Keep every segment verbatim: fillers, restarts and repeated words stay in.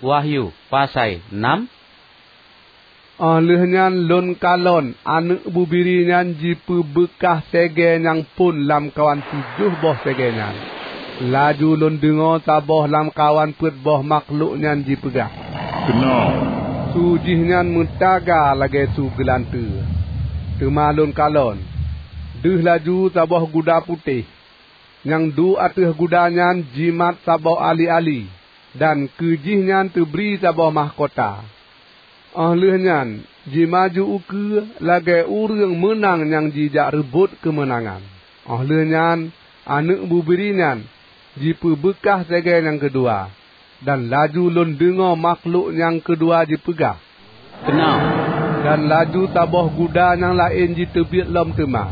Wahyu pasai nam. Óh lheueh nyan lôn kalon aneuëk bubiri nyan jipeubeukah segée nyang phon lamkawan tujoh boh segée nyan. Laju lôn deungoe saboh lamkawan peuet boh makhlok nyan jipeugah, "Keunoe!" Su jih nyan meutaga lagée su geulanteue. Teuma lôn kalon, deuh laju saboh guda putéh. Nyang duek ateueh guda nyan jimat saboh ali-ali, dan keu jih nyan teubri saboh mahkota. Óh lheueh nyan jimaju ukeue lagée ureuëng meunang nyang jijak reubot keumeunangan. Óh lheueh nyan aneuëk bubiri nyan jipeubeukah segée nyang keudua, dan laju lôn deungoe makhlok nyang keudua jipeugah, "Keunoe!" Dan laju saboh guda nyang laén jiteubiet lom teuma.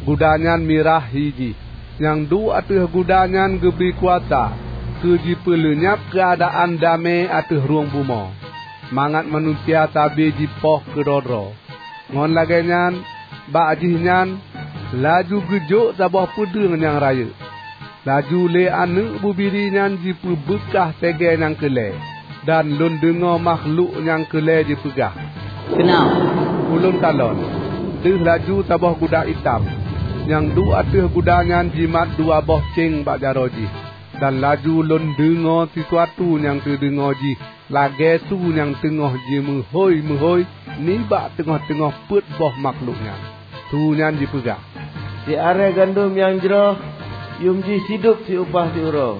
Guda nyan mirah hi jih. Nyang duek ateueh guda nyan geubri kuasa keu jipeuleunyab keuadaan damé ateueh rhueng bumoe, mangat manusia sabe jipoh keudroe-droe. Ngon lagée nyan, bak jih nyan laju geujok saboh peudeueng nyang rayeuk. Laju lé aneuëk bubiri nyan jipeubeukah segée nyang keu lhée, dan lôn deungoe makhlok nyang keu lhée jipeugah, "Keunoe!" Ulôn kalon, deuh laju saboh guda itam. Nyang duek ateueh guda nyan jimat dua boh céng bak jaroe jih, dan laju lôn deungoe sisuatu nyang teudeungoe jih lagée su nyang teungoh jimeuhôi-meuhôi nibak teungoh-teungoh peuet boh makhlok nyan. Su nyan jipeugah, "Siarée gandom nyang jroh, yuem jih sidub siupah siuroe,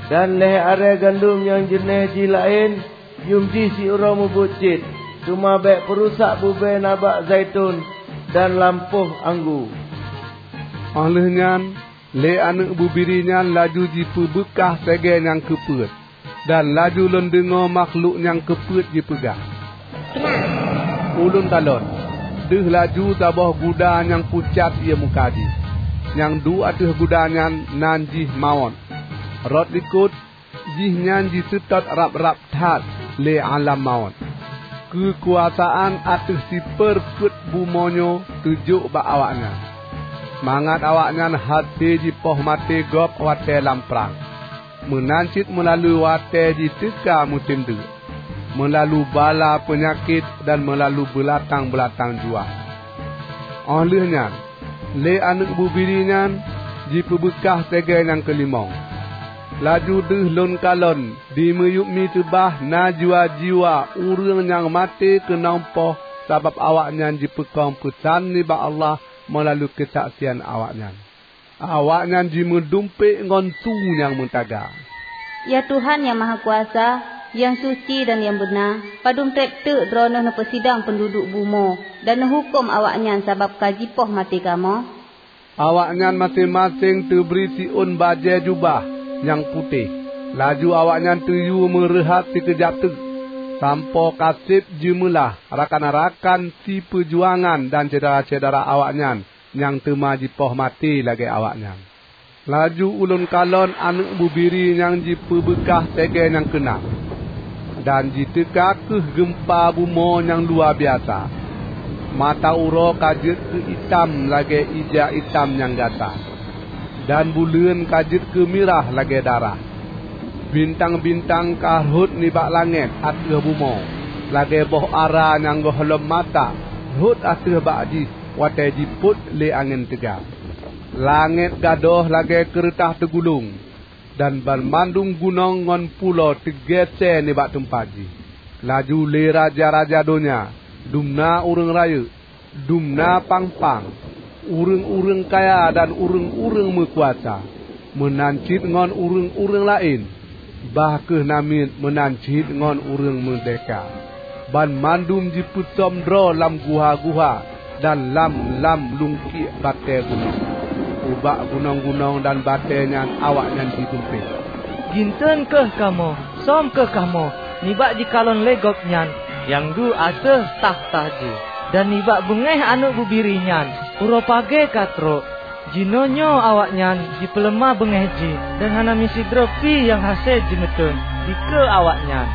dan lhée arée gandom nyang jeuneh jih laén, yuem jih siuroe mubuet cit. Teuma bék peurusak bubée nabak zaiton dan lampôh anggô." Óh lheueh nyan, lé aneuëk bubiri nyan laju jipeubeukah segée nyang keupeuet, dan laju lôn deungoe makhlok nyang keupeuet jipeugah, "Ulôn kalon, deuh laju saboh guda nyang pucat ié muka jih. Nyang duek ateueh guda nyan nan jih Mawöt. Rot likot jih nyan jiseutôt rab-rab that lé alam mawöt. Keukuasaan ateueh sipeureupeuet bumoe nyoe teujok bak awaknyan, mangat awaknyan hase jipoh maté gob watée lam prang, meunan cit meulalu watée jiteuka musém deuk, meulalu bala peunyakét dan meulalu beulatang-beulatang juah." Óh lheueh nyan, lé aneuëk bubiri nyan jipeubeukah segée nyang keulimöng. Laju deuh lôn kalon di miyueb miseubah na jiwa-jiwa ureuëng nyang maté keunong poh sabab awaknyan jipeukong peusan nibak Allah meulalu keusaksian awaknyan. Awaknyan jimeudumpék ngon su nyang meutaga, "Ya Tuhan Nyang Mahakuasa, nyang suci dan nyang beuna, padum treb teuk Droeneueh neupeusidang peunduduek bumoe dan neuhuköm awaknyan sabab ka jipoh maté kamoe?" Awaknyan maséng-maséng teubri siôn bajée jubah nyang putéh. Laju awaknyan teuyue meureuhat sikeujab teuk, sampoe ka seb jimeulaih rakan-rakan sipeujuangan dan syedara-syedara awaknyan nyang teuma jipoh maté lagée awaknyan. Laju ulôn kalon aneuëk bubiri nyang jipeubeukah segée nyang keunan, dan jiteuka kheueh geumpa bumoe nyang luwabiasa. Mata uroe ka jeuet keu itam lagée ija itam nyang gata, dan buleuen ka jeuet keu mirah lagée darah. Bintang-bintang ka rhot nibak langét ateueh bumoe lagée boh ara nyang gohlom masak rhot ateueh bak jih watée jipôt lé angén teuga. Langét gadôh lagée keureutah teugulong, dan banmandum gunong ngon pulo teugeusék nibak teumpat jih. Laju lé raja-raja donya, dumna ureuëng rayeuk, dumna pang-pang, ureuëng-ureuëng kaya dan ureuëng-ureuëng meukuasa, meunan cit ngon ureuëng-ureuëng laén, bah kheueh namiet meunan cit ngon ureuëng meurdehka. Banmandum jipeusöm droe lam guha-guha dan lam-lam lungkiek batée gunong. Ubak gunong-gunong dan batée nyan awaknyan jidumpék, "Ginteuen kheueh kamoe, söm kheueh kamoe nibak jikalon lé Gobnyan nyang duek ateueh takhta jih, dan nibak beungéh Aneuëk Bubiri nyan uroe pagée ka trok. Jinoenyoe awaknyan jipeuleumah beungéh jih, dan hana meusidroe pih nyang hase jimeuteun dikeue awaknyan."